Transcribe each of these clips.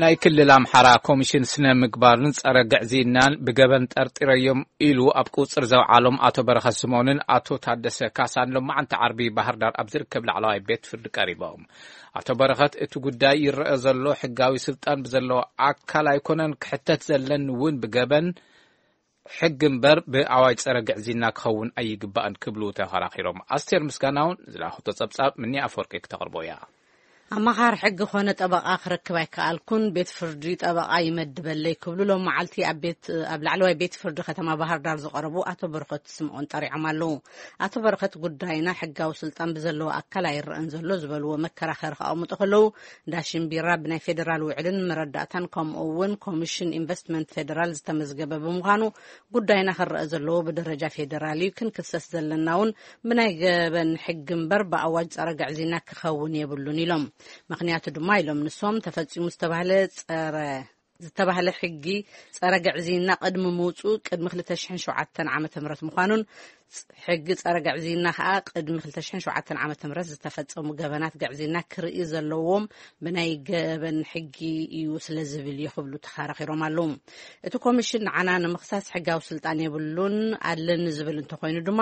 ናይ ክልል ኣምሓራ ኮሚሽን ስነ ምግባርን ጸረ ግዕዝይናን ብገበን ጠርጢረዮም ኢሉ ኣብ ቁጽር ዘውዓሎም ኣቶ በረኸት ስምኦንን ኣቶ ታደሰ ካሳን ሎማዓንቲ ዓርቢ ባህር ዳር ኣብ ዝርከብ ላዕለዋይ ቤት ፍርዲ ቀሪቦም። ኣቶ በረኸት እቲ ጉዳይ ይረአ ዘሎ ሕጋዊ ስልጣን ብዘለዎ ኣካል ኣይኮነን ክሕተት ዘለኒ እውን ብገበን ሕጊ እምበር ብኣዋጅ ጸረ ግዕዝይና ክኸውን ኣይግባእን ክብሉ ተኸራኺሮም። ኣስቴር ምስጋናውን ዝለኣኹቶ ጸብጻብ ምኒ ኣፈወርቂ ክተቕርቦ እያ። ኣማኻሪ ሕጊ ኾነ ጠበቓ ክረክብ ኣይከኣልኩን፣ ቤት ፍርዲ ጠበቓ ይመድበለይ ክብሉ ሎም መዓልቲ ኣብ ቤት ኣብ ላዕለዋይ ቤት ፍርዲ ከተማ ባህር ዳር ዝቐረቡ ኣቶ በረኸት ስምኦን ጠሪዖም ኣለዉ። ኣቶ በረኸት ጉዳይና ሕጋዊ ስልጣን ብዘለዎ ኣካል ኣይረአን ዘሎ ዝበልዎ መከራኸሪ ከቐምጡ ከለዉ፣ ዳሽን ቢራ ብናይ ፌዴራል ውዕልን መረዳእታን ከምኡ እውን ኮሚሽን ኢንቨስትመንት ፌዴራል ዝተመዝገበ ብምዃኑ ጉዳይና ክረአ ዘለዎ ብደረጃ ፌዴራል እዩ፣ ክንክሰስ ዘለና እውን ብናይ ገበን ሕጊ እምበር ብኣዋጅ ጸረ ግዕዝይና ክኸውን የብሉን ኢሎም። ምኽንያቱ ድማ ኢሎም ንሶም ተፈጺሙ ዝተባህለ ጸረ ዝተባህለ ሕጊ ጸረ ግዕዝይና ቅድሚ ምውጹ ቅድሚ ክልተ ሽሕን ሸውዓተን ዓመተ ምህረት ምዃኑን ሕጊ ጸረ ግዕዝይና ከኣ ቅድሚ ክልተ ሽሕን ሸውዓተን ዓመተ ምህረት ዝተፈጸሙ ገበናት ግዕዝይና ክርኢ ዘለዎም ብናይ ገበን ሕጊ እዩ ስለ ዝብል እዩ ክብሉ ተኸራኺሮም ኣለዉ። እቲ ኮሚሽን ንዓና ንምኽሳስ ሕጋዊ ስልጣን የብሉን፣ ኣለኒ ዝብል እንተኾይኑ ድማ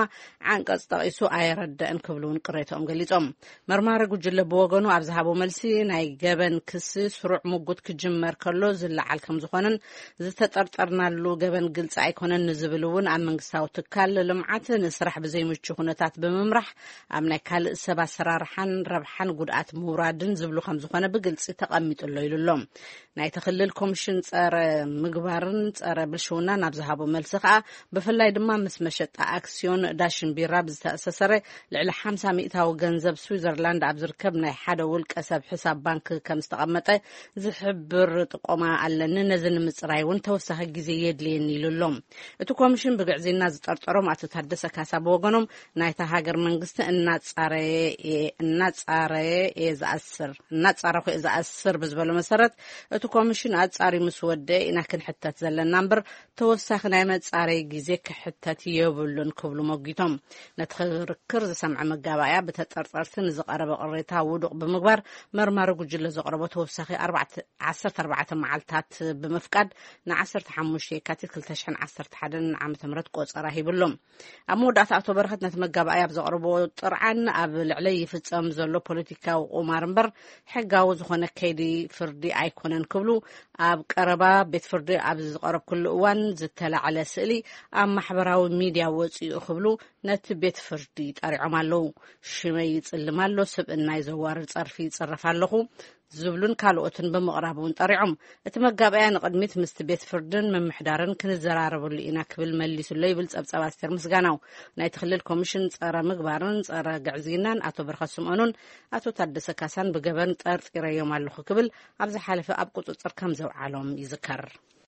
ዓንቀጽ ጠቒሱ ኣየረደእን ክብሉ እውን ቅሬታኦም ገሊጾም። መርማሪ ጉጅለ ብወገኑ ኣብ ዝሃቦ መልሲ ናይ ገበን ክሲ ስሩዕ ምጉት ክጅመር ከሎ ዝለዓል ከም ዝኾነን ዝተጠርጠርናሉ ገበን ግልጺ ኣይኮነን ንዝብል እውን ኣብ መንግስታዊ ትካል ልምዓት ንስራሕ ብዘይምቹ ኩነታት ብምምራሕ ኣብ ናይ ካልእ ሰብ ኣሰራርሓን ረብሓን ጉድኣት ምውራድን ዝብሉ ከም ዝኾነ ብግልጺ ተቐሚጡ ኣሎ ኢሉ ኣሎ። ናይቲ ክልል ኮሚሽን ጸረ ምግባርን ጸረ ብልሽውናን ኣብ ዝሃቦ መልሲ ከኣ ብፍላይ ድማ ምስ መሸጣ ኣክስዮን ዳሽን ቢራ ብዝተኣሳሰረ ልዕሊ ሓምሳ ሚእታዊ ገንዘብ ስዊዘርላንድ ኣብ ዝርከብ ናይ ሓደ ውልቀ ሰብ ሕሳብ ባንክ ከም ዝተቐመጠ ዝሕብር ጥቆማ ኣለኒ። ነዚ ንምጽራይ እውን ተወሳኺ ግዜ የድልየኒ ኢሉ ኣሎ። እቲ ኮሚሽን ብግዕዝይና ዝጠርጠሮም ኣቶ ታደሰ ካሳ ብወገኖም ናይታ ሃገር መንግስቲ እናጻረየ እየ እናጻረየ እየ ዝኣስር እናጻረኹ እየ ዝኣስር ብዝበሎ መሰረት እቲ ኮሚሽን ኣጻሪ ምስ ወደአ ኢና ክንሕተት ዘለና እምበር ተወሳኺ ናይ መጻረይ ግዜ ክሕተት የብሉን ክብሉ መጒቶም። ነቲ ክርክር ዝሰምዐ መጋባእያ ብተጠርጠርቲ ንዝቐረበ ቅሬታ ውዱቕ ብምግባር መርማሪ ጉጅለ ዘቕረቦ ተወሳኺ ኣርባዕተ ዓሰርተ ኣርባዕተ መዓልታት ብምፍቃድ ን ዓሰርተ ሓሙሽተ የካቲት ክልተ ሽሕን ዓሰርተ ሓደን ዓመተ ምህረት ቆጸራ ሂብሎም። ኣብ መወዳእታ ኣቶ በረኸት ነቲ መጋባእያ ኣብ ዘቕረቦ ጥርዓን ኣብ ልዕለይ ይፍጸም ዘሎ ፖለቲካዊ ቁማር እምበር ሕጋዊ ዝኾነ ከይዲ ፍርዲ ኣይኮነን ክብሉ ኣብ ቀረባ ቤት ፍርዲ ኣብ ዝቐረብኩሉ እዋን ዝተላዕለ ስእሊ ኣብ ማሕበራዊ ሚድያ ወፂኡ ክብሉ ነቲ ቤት ፍርዲ ጠሪዖም ኣለዉ። ሽመይ ይጽልም ኣሎ፣ ስብእናይ ዘዋርድ ጸርፊ ይጽረፍ ኣለኹ ዝብሉን ካልኦትን ብምቕራብ እውን ጠሪዖም። እቲ መጋበያ ንቕድሚት ምስቲ ቤት ፍርድን ምምሕዳርን ክንዘራረበሉ ኢና ክብል መሊሱሎ ይብል ጸብጻብ ኣስቴር ምስጋናው። ናይቲ ክልል ኮሚሽን ጸረ ምግባርን ጸረ ግዕዝይናን ኣቶ በረኸት ስምኦኑን ኣቶ ታደሰ ካሳን ብገበን ጠርጢረዮም ኣለኹ ክብል ኣብ ዝሓለፈ ኣብ ቁጽጽር ከም ዘውዓሎም ይዝከር።